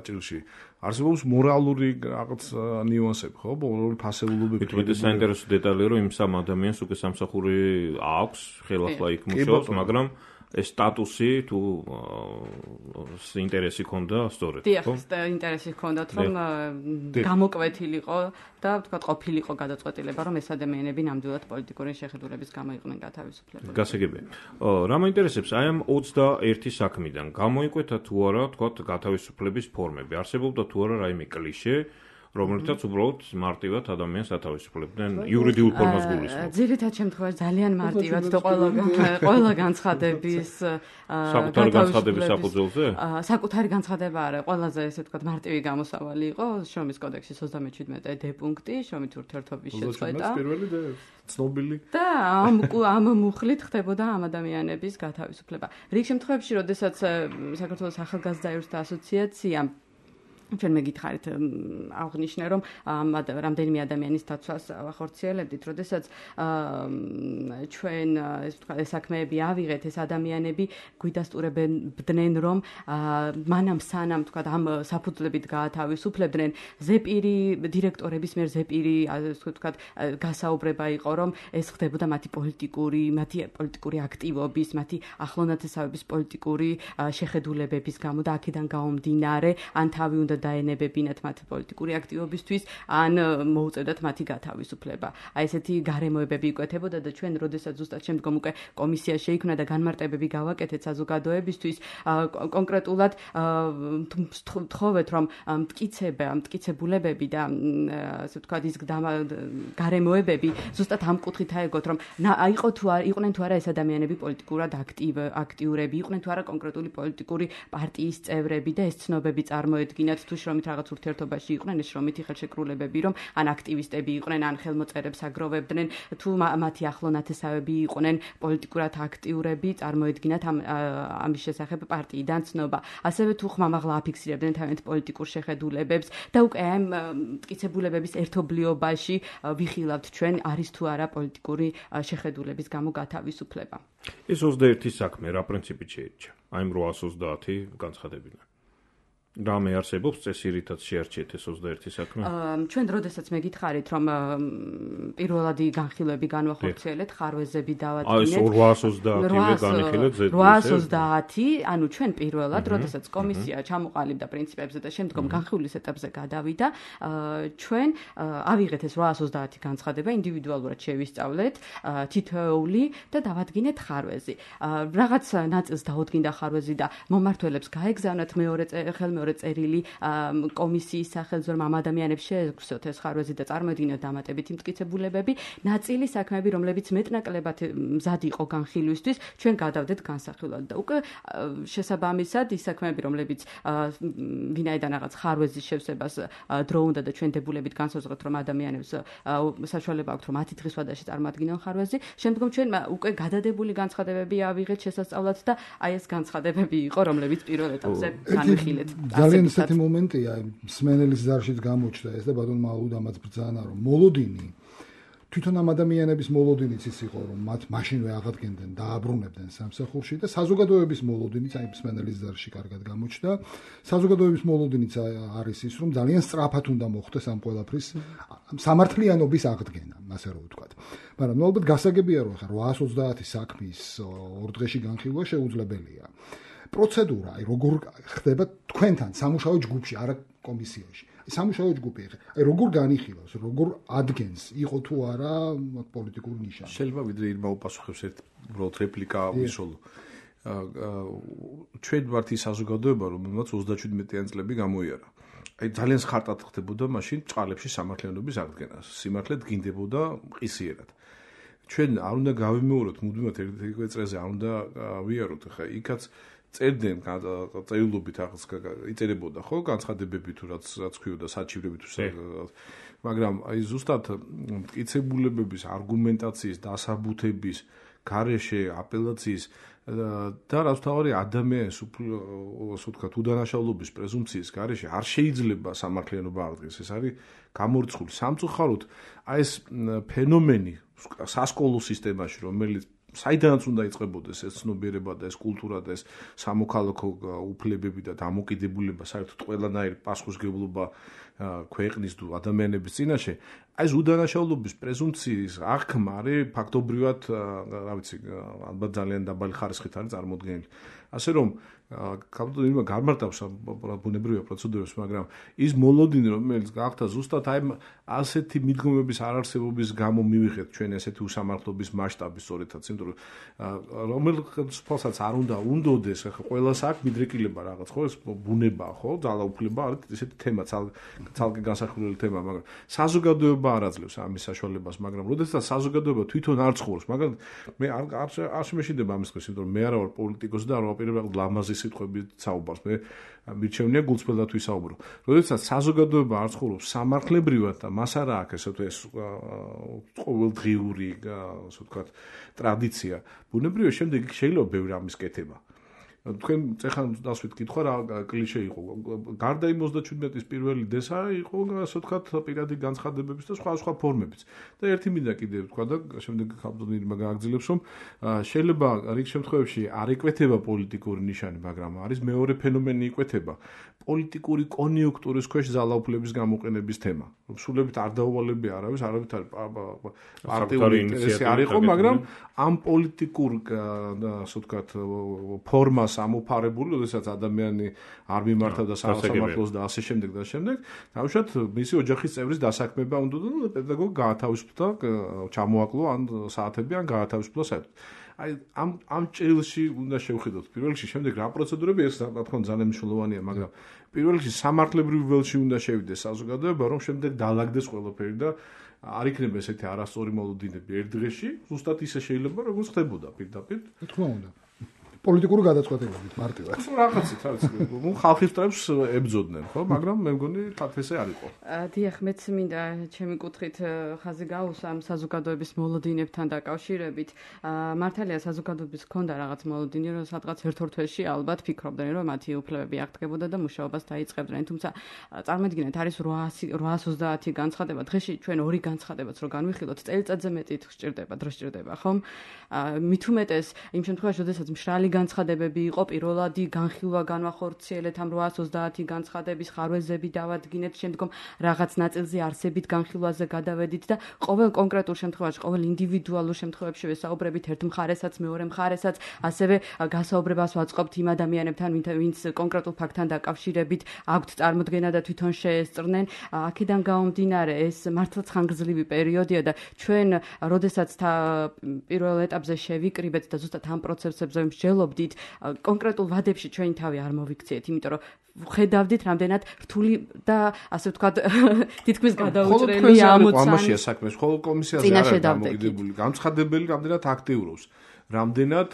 [SPEAKER 5] ჭრილში. არსებობს მორალური რაღაც ნიუანსები, ხო? მორალური ფასეულობები.
[SPEAKER 4] თუმცა საინტერესო დეტალია, რომ იმ სამ ადამიანს უკვე სამსახური აქვს, ხელახლა იქ მუშაობს, მაგრამ ეს სტატუსი თუ ინტერესი ქონდა სწორედ,
[SPEAKER 3] ხო? დიახ, ინტერესი ქონდათ, რომ გამოკვეთილიყო და ვთქვათ, ყოფილიყო გადაწყვეტილება, რომ ეს ადამიანები ნამდვილად პოლიტიკური შეხედულების გამო იყვნენ გათავისუფლებული.
[SPEAKER 4] გასაგებია. რა მაინტერესებს აი ამ ოცდაერთი საქმიდან გამოიკვეთა თუ არა, ვთქვათ, გათავისუფლების ფორმები. არსებობდა თუ არა რაიმე კლიშე, რომელთაც უბრალოდ მარტივად ადამიანს ათავისუფლებდნენ იურიდიულ ფორმას გულისხმობ.
[SPEAKER 3] ძირითად შემთხვევაში ძალიან მარტივად და ყველა ყველა განცხადების
[SPEAKER 4] საკუთარი განცხადების საფუძველზე?
[SPEAKER 3] საკუთარი განცხადება არა, ყველაზე ესე ვთქვათ მარტივი გამოსავალი იყო შრომის კოდექსის ოცდამეჩვიდმეტე დე პუნქტი, შრომით ურთიერთობის შეწყვეტა.
[SPEAKER 5] პირველი და ცნობილი.
[SPEAKER 3] და ამ ამ მუხლით ხდებოდა ამ ადამიანების გათავისუფლება. რიგ შემთხვევებში, როდესაც საქართველოს ახალგაზრდა იურისტთა ასოციაცია ჩვენ მეგითხარით აღნიშნე რომ რამდენიმე ადამიანის დაცვას ვახორციელებდით, როდესაც ჩვენ ეს ვთქვათ ეს საქმეები ავიღეთ, ეს ადამიანები გვიდასტურებდნენ რომ მანამ სანამ ვთქვათ ამ საფუძვლებით გაათავისუფლებდნენ, ზეპირი დირექტორების მიერ ზეპირი ასე ვთქვათ გასაუბრება იყო, რომ ეს ხდებოდა მათი პოლიტიკური, მათი პოლიტიკური აქტივობის, მათი ახლონათესავების პოლიტიკური შეხედულებების გამო და აქედან გამომდინარე ან თავი უნდა დაენებებინათ მათ პოლიტიკური აქტივობისთვის, ან მოუწევდათ მათი გათავისუფლება. აი ესეთი გარემოებები იკვეთებოდა და ჩვენ როდესაც ზუსტად შემდგომ უკვე კომისია შეიქმნა და განმარტებები გავაკეთეთ საზოგადოებისთვის, კონკრეტულად ვთხოვეთ, რომ მტკიცება, მტკიცებულებები და ასე ვთქვათ ის გარემოებები ზუსტად ამ კუთხით აეგოთ, რომ აიყო თუ არ იყვნენ თუ არა ეს ადამიანები პოლიტიკურად აქტიურები, იყვნენ თუ არა კონკრეტული პოლიტიკური პარტიის წევრები და ეს ცნობები წარმოედგინათ თუ შრომით რაღაც ურთიერთობაში იყვნენ, ეს შრომითი ხელშეკრულებები, რომ ან აქტივისტები იყვნენ, ან ხელმოწერებს აგროვებდნენ, თუ მათი ახლონათესავები იყვნენ პოლიტიკურად აქტიურები, წარმოედგინათ ამ ამის შესახებ პარტიიდან ცნობა. ასევე თუ ხმამაღლა აფიქსირებდნენ თავიანთ პოლიტიკურ შეხედულებებს და უკვე ამ მტკიცებულებების ერთობლიობაში ვიხილავთ ჩვენ არის თუ არა პოლიტიკური შეხედულების გამო გათავისუფლება.
[SPEAKER 4] ეს ოცდაერთი საქმე რა პრინციპით შეირჩა? აი ამ რვაას ოცდაათი განცხადებიდან. რამე არსებობს წესირითაც შეარჩიეთ ეს ოცდაერთი საქმე?
[SPEAKER 3] ჩვენ როდესაც მეგითხარით, რომ პირველადი განხილვები განვახორციელეთ, ხარვეზები დავადგინეთ.
[SPEAKER 4] აი რვაას ოცდაათი განიხილეთ ზედმეტი.
[SPEAKER 3] რვაას ოცდაათი, ანუ ჩვენ პირველად, როდესაც კომისია ჩამოყალიბდა პრინციპებზე და შემდგომ განხილვის ეტაპზე გადავიდა, ჩვენ ავიღეთ ეს რვაას ოცდაათი განცხადება, ინდივიდუალურად შევისწავლეთ თითოეული და დავადგინეთ ხარვეზი. რაღაც ნაწილს დაუდგინდა ხარვეზი და მომმართველებს გაეგზავნათ მეორე ხელმეორე წერილი კომისიის სახელზე, რომ ამ ადამიანებს შეეგვსოთ ეს ხარვეზი და წარმოედგინოთ დამატებითი მტკიცებულებები. ნაწილი საქმეები, რომლებიც მეტნაკლებად მზად იყო განხილვისთვის, ჩვენ გადავდეთ განსახილვად და უკვე შესაბამისად ის საქმეები, რომლებიც ვინაიდან რაღაც ხარვეზის შევსებას დრო უნდა და ჩვენ დებულებით განსაზღვრეთ, რომ ადამიანებს საშუალება აქვთ, რომ ათი დღის ვადაში წარმოადგინონ ხარვეზი, შემდგომ ჩვენ უკვე გადადებული განცხადებები ავიღეთ შესასწავლად და აი ეს განცხადებები იყო, რომლებიც პირველ ეტაპზე განვიხილეთ.
[SPEAKER 2] ძალიან ისეთი მომენტია, მსმენელის ზარშიც გამოჩნდა ეს და ბატონმა აუდამაც ბრძანა, რომ მოლოდინი თვითონ ამ ადამიანების მოლოდინიც ის იყო, რომ მათ მაშინვე აღადგენდნენ და აბრუნებდნენ სამსახურში და საზოგადოების მოლოდინიც აი მსმენელის ზარში კარგად გამოჩნდა. საზოგადოების მოლოდინიც არის ის, რომ ძალიან სწრაფად უნდა მოხდეს ამ ყველაფრის სამართლიანობის აღდგენა, ასე რომ ვთქვათ. მაგრამ ალბათ გასაგებია, რომ ხა რვაას ოცდაათი საქმის ორ დღეში განხილვა შეუძლებელია. პროცედურა, აი როგორ ხდება თქვენთან სამუშაო ჯგუფში, არა კომისიაში. სამუშაო ჯგუფი, აი როგორ განიხილავს, როგორ ადგენს, იყო თუ არა პოლიტიკური ნიშანი.
[SPEAKER 5] შეიძლება ვიდრე ირმა უპასუხებს ერთ უბრალოდ რეპლიკა ვისოლო. ჩვენ ვართ ის საზოგადოება, რომელმაც ოცდაშვიდმეტი წლები გამოიარა. აი ძალიან ხარტად ხდებოდა მაშინ წყალებში სამართლიანობის აღდგენა. სიმართლე დგინდებოდა ყისიერად. ჩვენ არ უნდა გავიმეოროთ მუდმივად ერთ-ერთი წრეზე, არ უნდა ვიაროთ, ხა იქაც წერდნენ წერილობით ახალს იწერებოდა ხო განცხადებები თუ რაც რაც ქვიოდა საჩივრები თუ მაგრამ აი ზუსტად მტკიცებულებების არგუმენტაციის დასაბუთების გარეშე აპელაციის და რაც თავარი ადამიანის ასე ვთქვათ უდანაშაულობის პრეზუმპციის გარეშე არ შეიძლება სამართლიანობა აღდგეს ეს არის გამორიცხული სამწუხაროდ აი ეს ფენომენი სასკოლო სისტემაში რომელიც საიდანაც უნდა იწყებოდეს ეს ცნობიერება და ეს კულტურა და ეს სამოქალაქო უფლებები და დამოკიდებულება საერთოდ ყველანაირ პასუხისმგებლობა ქვეყნის თუ ადამიანების წინაშე აი ეს უდანაშაულობის პრეზუმპციის აღქმა არის ფაქტობრივად რა ვიცი ალბათ ძალიან დაბალი ხარისხით არის წარმოდგენილი ასე რომ კაპიტალიზმი გამარტავს ბუნებრივია პროცედურებს მაგრამ ის მოლოდინი რომელიც გახდა ზუსტად აი ასეთი მიდგომების არარსებობის გამო მივიღეთ ჩვენ ესეთი უსამართლობის მასშტაბი სწორედაც იმიტომ რომ რომელიც ფალსაც არ უნდა უნდოდეს ახლა ყველას აქვს მიდრეკილება რაღაც ხო ეს ბუნება ხო ძალაუფლება არის ესეთი თემა ცალკე განსახილველი თემა მაგრამ საზოგადოება არ აძლევს ამის საშუალებას მაგრამ როდესაც საზოგადოება თვითონ არ ცხოვრობს მაგრამ მე არ არ შემეშინდება ამის დღეს იმიტომ რომ მე არა ვარ პოლიტიკოსი და არ ვაპირებ ლამაზი სიტყვები საუბარს მე მირჩევნია გულწრფელად ვისაუბრო. როდესაც საზოგადოება არ ცხოვრობს სამართლებრივად და მას არ აქვს ესე თუ ეს ყოველდღიური ასე ვთქვათ ტრადიცია, ბუნებრივია შემდეგ შეიძლება ბევრი ამის კეთება. თქვენ წეხან დასვით კითხვა რა კლიშე იყო. გარდა იმ ოცდაჩვიდმეტის პირველი დესა იყო ასე ვთქვათ პირადი განცხადებების და სხვა სხვა ფორმებიც. და ერთი მინდა კიდე ვთქვა და შემდეგ ხალხმა გააგრძელებს რომ შეიძლება რიგ შემთხვევებში არ იკვეთება პოლიტიკური ნიშანი, მაგრამ არის მეორე ფენომენი იკვეთება. პოლიტიკური კონიუნქტურის ქვეშ ძალაუფლების გამოყენების თემა. სულებით არ დაუვალებია არავის, არავით არის პარტიული ინტერესი არ იყო, მაგრამ ამ პოლიტიკურ ასე ვთქვათ ფორმას ამოფარებული, როდესაც ადამიანი არ მიმართავდა სამართლოს და ასე შემდეგ და შემდეგ, თავშოთ მისი ოჯახის წევრის დასაქმება უნდა და პედაგოგი გაათავისუფლდა, ჩამოაკლო ან საათები ან გაათავისუფლა საერთოდ. აი ამ ამ ჭრილში უნდა შევხედოთ პირველ რიგში, შემდეგ რა პროცედურები ეს რა თქმა უნდა ძალიან მნიშვნელოვანია, მაგრამ პირველ რიგში სამართლებრივ ველში უნდა შევიდეს საზოგადოება, რომ შემდეგ დაალაგდეს ყველაფერი და არ იქნება ესეთი არასწორი მოლოდინები ერთ დღეში, ზუსტად ისე შეიძლება როგორც ხდებოდა პირდაპირ.
[SPEAKER 2] თქმა უნდა. პოლიტიკური გადაწყვეტილებით მარტივად.
[SPEAKER 5] რაღაცით არის. ნუ ხალხის ტრებს ებძოდნენ, ხო, მაგრამ მე მგონი თათესე არ იყო.
[SPEAKER 3] დიახ, მეც მინდა ჩემი კუთხით ხაზი გაუსვა ამ საზოგადოების მოლოდინებთან დაკავშირებით. მართალია საზოგადოების ქონდა რაღაც მოლოდინი, რომ სადღაც ერთ-ორ თვეში ალბათ ფიქრობდნენ, რომ მათი უფლებები აღდგებოდა და მუშაობას დაიწყებდნენ. თუმცა წარმოიდგინეთ, არის რვაას ოცდაათი განცხადება, დღეში ჩვენ ორი განცხადებაც რო განვიხილოთ, წელიწადზე მეტი სჭირდება, დრო სჭირდება, ხომ? მით უმეტეს იმ შემთხვევაში, როდესაც მშრალი განცხადებები იყო პირველადი განხილვა განვახორციელეთ ამ რვაას ოცდაათი განცხადების ხარვეზები დავადგინეთ შემდგომ რაღაც ნაწილზე არსებით განხილვაზე გადავედით და ყოველ კონკრეტულ შემთხვევაში ყოველ ინდივიდუალურ შემთხვევებში ვესაუბრებით ერთ მხარესაც მეორე მხარესაც ასევე გასაუბრებას ვაწყობთ იმ ადამიანებთან ვინც კონკრეტულ ფაქტთან დაკავშირებით აქვთ წარმოდგენა და თვითონ შეესწრნენ აქედან გამომდინარე ეს მართლაც ხანგრძლივი პერიოდია და ჩვენ როდესაც პირველ ეტაპზე შევიკრიბეთ და ზუსტად ამ პროცესებზე მსჯელობ კონკრეტულ ვადებში ჩვენი თავი არ მოვიქციეთ, იმიტომ რომ ხედავდით რამდენად რთული და ასე ვთქვათ თითქმის გადაუჭრელი ამოცანა.
[SPEAKER 5] ამაშია საქმე, ხოლო კომისიაზე არ არის დამოკიდებული, განცხადებელი რამდენად აქტიურობს. რამდენად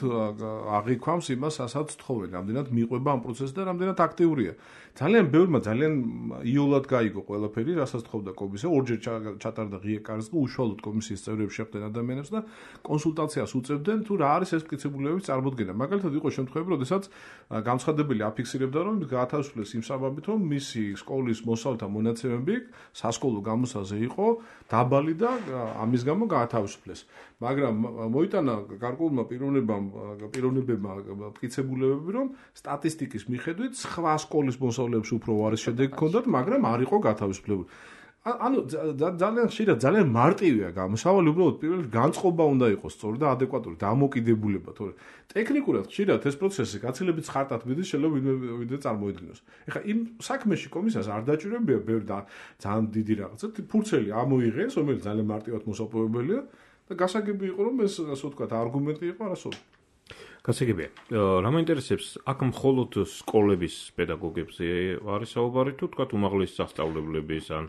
[SPEAKER 5] აღიქვამს იმას, ასაც თხოვენ, რამდენად მიყვება ამ პროცესს და რამდენად აქტიურია. ძალიან ბევრმა ძალიან იოლად გაიგო ყველაფერი, რასაც თხოვდა კომისია, ორჯერ ჩატარდა ღია კარისხი, უშუალოდ კომისიის წევრები შეხვდნენ ადამიანებს და კონსულტაციას უწევდნენ, თუ რა არის ეს მტკიცებულებების წარმოდგენა. მაგალითად იყო შემთხვევები, როდესაც განცხადებელი აფიქსირებდა, რომ გაათავისუფლეს იმ საბაბით, რომ მისი სკოლის მოსავლთა მონაცემები სასკოლო გამოსაზე იყო დაბალი და ამის გამო გაათავისუფლეს. მაგრამ მოიტანა გარკვეულმა პიროვნებამ პიროვნებებმა მტკიცებულებები, რომ სტატისტიკის მიხედვით სხვა სკოლის მოსავლეებს უფრო უარეს შედეგი ჰქონდათ, მაგრამ არ იყო გათავისუფლებული. ანუ ძალიან ხშირად ძალიან მარტივია გამოსავალი, უბრალოდ პირველ განწყობა უნდა იყოს სწორი და ადეკვატური დამოკიდებულება, თორე ტექნიკურად ხშირად ეს პროცესი გაცილებით ხარტად მიდის, შეიძლება ვიდრე წარმოიდგინოს. ეხლა იმ საქმეში კომისიას არ დაჭირებია ბევრი და ძალიან დიდი რაღაცა, ფურცელი ამოიღეს, რომელიც ძალიან მარტივად მოსაპოვებელია და გასაგები იყო, რომ ეს ასე ვთქვათ, არგუმენტი იყო არასოდეს.
[SPEAKER 4] გასაგებია. რა მაინტერესებს, აქ მხოლოდ სკოლების პედაგოგებზე არის საუბარი თუ თქვა უმაღლესი სასწავლებლების ან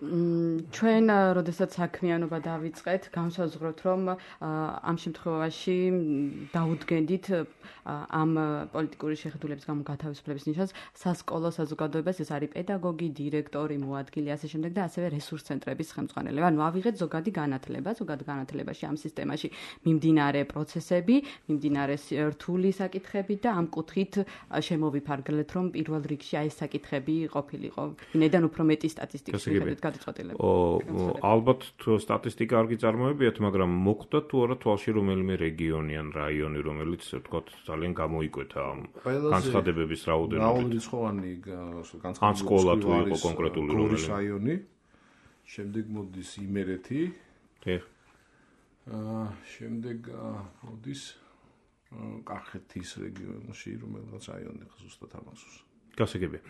[SPEAKER 3] ჩვენ როდესაც საქმიანობა დავიწყეთ, განსაზღვროთ, რომ ამ შემთხვევაში დაუდგენდით ამ პოლიტიკური შეხედულების გამო გათავისუფლების ნიშანს სასკოლო საზოგადოებას, ეს არის პედაგოგი, დირექტორი, მოადგილე, ასე შემდეგ და ასევე რესურს ცენტრების ხელმძღვანელები. ანუ ავიღეთ ზოგადი განათლება, ზოგად განათლებაში ამ სისტემაში მიმდინარე პროცესები, მიმდინარე რთული საკითხები და ამ კუთხით შემოვიფარგლეთ, რომ პირველ რიგში აი ეს საკითხები ყოფილიყო. ვინაიდან უფრო მეტი სტატისტიკის მიხედვით გადაწყვეტილება.
[SPEAKER 4] ალბათ სტატისტიკა არ გიწარმოებიათ, მაგრამ მოკვდა თუ არა თვალში რომელიმე რეგიონი ან რაიონი, რომელიც ვთქვათ ძალიან გამოიკვეთა ამ განცხადებების რაოდენობით.
[SPEAKER 5] რაოდენობით განცხადებები
[SPEAKER 4] სკოლა თუ იყო კონკრეტული
[SPEAKER 5] რომელი რაიონი. შემდეგ მოდის იმერეთი.
[SPEAKER 4] დიახ.
[SPEAKER 5] აა შემდეგ მოდის კახეთის რეგიონში რომელიღაც რაიონი ზუსტად ამასუს.
[SPEAKER 4] გასაგებია.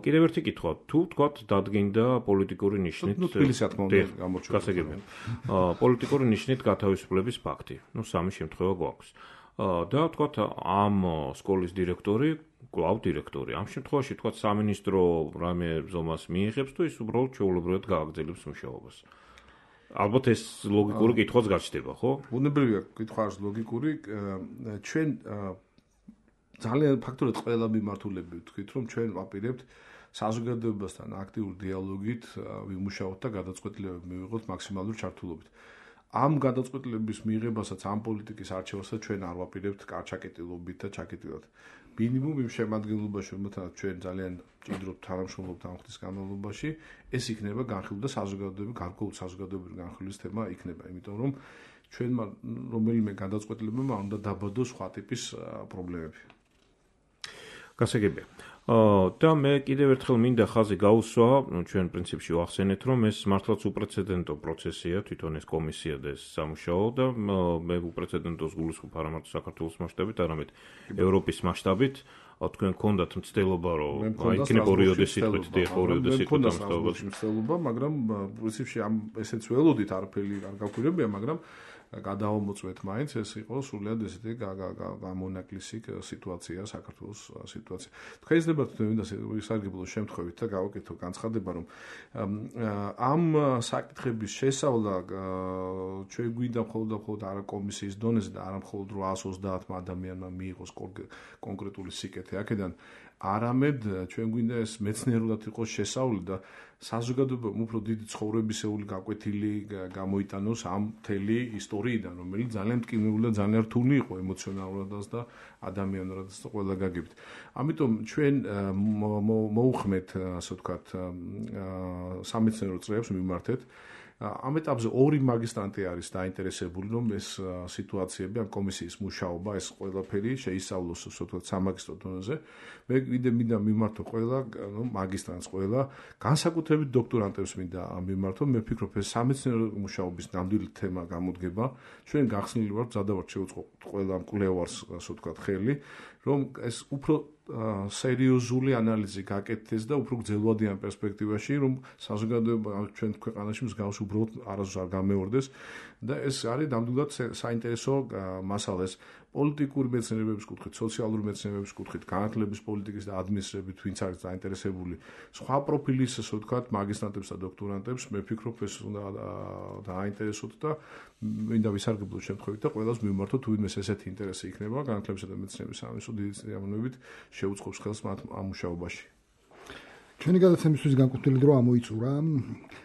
[SPEAKER 4] კიდევ ერთი კითხვა, თუ თქვათ დადგინდა პოლიტიკური ნიშნით
[SPEAKER 5] თბილისში რა თქმა უნდა გამორჩა.
[SPEAKER 4] გასაგებია. პოლიტიკური ნიშნით გათავისუფლების ფაქტი. ნუ სამი შემთხვევა გვაქვს. და თქვათ ამ სკოლის დირექტორი, კვლავ დირექტორი. ამ შემთხვევაში თქვათ სამინისტრო რამე ზომას მიიღებს თუ ის უბრალოდ ჩვეულებრივად გააგრძელებს მუშაობას. ალბათ ეს ლოგიკური კითხვაც გაჩნდება, ხო?
[SPEAKER 5] ბუნებრივია კითხვა არის ლოგიკური. ჩვენ ძალიან ფაქტურად ყველა მიმართულები ვთქვით, რომ ჩვენ ვაპირებთ საზოგადოებასთან აქტიურ დიალოგით ვიმუშაოთ და გადაწყვეტილებები მივიღოთ მაქსიმალური ჩართულობით. ამ გადაწყვეტილების მიღებასაც ამ პოლიტიკის არჩევასაც ჩვენ არ ვაპირებთ კარჩაკეტილობით და ჩაკეტილად. მინიმუმ იმ შემადგენლობაში, რომელთანაც ჩვენ ძალიან ჭიდრობთ თანამშრომლობთ ამ ხნის განმავლობაში, ეს იქნება განხილვა და საზოგადოებრივი გარკვეული საზოგადოებრივი განხილვის თემა იქნება, იმიტომ რომ ჩვენმა რომელიმე გადაწყვეტილებამ უნდა დაბადოს სხვა ტიპის პრობლემები.
[SPEAKER 4] გასაგებია. და მე კიდევ ერთხელ მინდა ხაზი გაუსვა, ჩვენ პრინციპში ვახსენეთ, რომ ეს მართლაც უპრეცედენტო პროცესია, თვითონ ეს კომისია და ეს სამუშაო და მე უპრეცედენტოს გულისხმობ არა მარტო საქართველოს მასშტაბით, არამედ ევროპის მასშტაბით. თქვენ გქონდათ მცდელობა, რომ იქნება ორი ოდესი თქვით, დიახ, ორი ოდესი თქვით ამ
[SPEAKER 5] მცდელობა, მაგრამ პრინციპში ამ ესეც ველოდით არაფერი არ გაგვირებია, მაგრამ გადავამოწმეთ მაინც ეს იყო სრულიად ესეთი გამონაკლისი სიტუაცია საქართველოს სიტუაცია. თქვენ იძლება თუნდაც ისარგებლოს შემთხვევით და გავაკეთო განცხადება, რომ ამ საკითხების შესავლა ჩვენ გვინდა მხოლოდ და მხოლოდ არა კომისიის დონეზე და არა მხოლოდ რვაას ოცდაათმა ადამიანმა მიიღოს კონკრეტული სიკეთე აქედან, არამედ ჩვენ გვინდა ეს მეცნიერულად იყოს შესავლი და საზოგადოებამ უფრო დიდი ცხოვრებისეული გაკვეთილი გამოიტანოს ამ მთელი ისტორიიდან, რომელიც ძალიან მტკივნეული და ძალიან რთული იყო ემოციონალურადაც და ადამიანურადაც და ყველა გაგებით. ამიტომ ჩვენ მოუხმეთ, ასე ვთქვათ, სამეცნიერო წრეებს მიმართეთ. ამ ეტაპზე ორი მაგისტრანტი არის დაინტერესებული, რომ ეს სიტუაციები, ამ კომისიის მუშაობა, ეს ყველაფერი შეისწავლოს, ასე ვთქვათ, სამაგისტრო დონეზე. მე კიდე მინდა მიმართო ყველა, ნუ მაგისტრანტს ყველა, განსაკუთრებით დოქტორანტებს მინდა მიმართო. მე ვფიქრობ, ეს სამეცნიერო მუშაობის ნამდვილი თემა გამოდგება. ჩვენ გახსნილი ვართ, ზადავართ შევუწყოთ ყველა მკვლევარს, ასე ვთქვათ, ხელი, რომ ეს უფრო სერიოზული ანალიზი გაკეთდეს და უფრო გრძელვადიან პერსპექტივაში, რომ საზოგადოება ჩვენ ქვეყანაში მსგავსი უბრალოდ არასდროს არ გამეორდეს და ეს არის ნამდვილად საინტერესო მასალა. ეს პოლიტიკური მეცნიერებების კუთხით, სოციალური მეცნიერებების კუთხით, განათლების პოლიტიკის და ადმინისტრირების ვინც არის დაინტერესებული, სხვა პროფილის, ასე ვთქვათ, მაგისტრანტებს და დოქტორანტებს, მე ვფიქრობ, ეს უნდა დააინტერესოთ და მინდა ვისარგებლოთ შემთხვევით და ყველას მიმართოთ, თუ ვინმეს ესეთი ინტერესი იქნება განათლებისა და მეცნიერების სამინისტრო დიდი წინამორბედით შეუწყობს ხელს მათ ამ მუშაობაში.
[SPEAKER 2] ჩვენი გადაცემისთვის განკუთვნილი დრო ამოიწურა.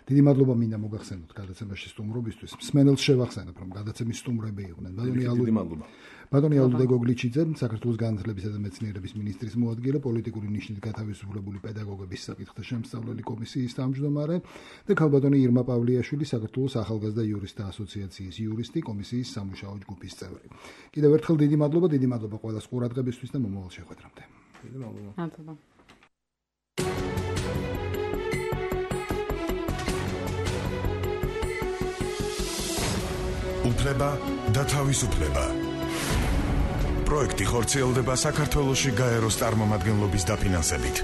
[SPEAKER 2] დიდი მადლობა მინდა მოგახსენოთ გადაცემაში სტუმრობისთვის. მსმენელს შევახსენებ, რომ გადაცემის სტუმრები იყვნენ ბატონი ალუ.
[SPEAKER 5] დიდი მადლობა.
[SPEAKER 2] ბატონი ალუდე გოგლიჩიძე, საქართველოს განათლებისა და მეცნიერების მინისტრის მოადგილე, პოლიტიკური ნიშნით გათავისუფლებული პედაგოგების საკითხთა შემსწავლელი კომისიის თავმჯდომარე და ქალბატონი ირმა პავლიაშვილი, საქართველოს ახალგაზრდა იურისტთა ასოციაციის იურისტი, კომისიის სამუშაო ჯგუფის წევრი. კიდევ ერთხელ დიდი მადლობა, დიდი მადლობა ყველას ყურადღებისთვის და მომავალ შეხვედრამდე.
[SPEAKER 5] დიდი მადლობა.
[SPEAKER 3] მადლობა.
[SPEAKER 1] უფლება და თავისუფლება. პროექტი ხორციელდება საქართველოში გაეროს წარმომადგენლობის დაფინანსებით.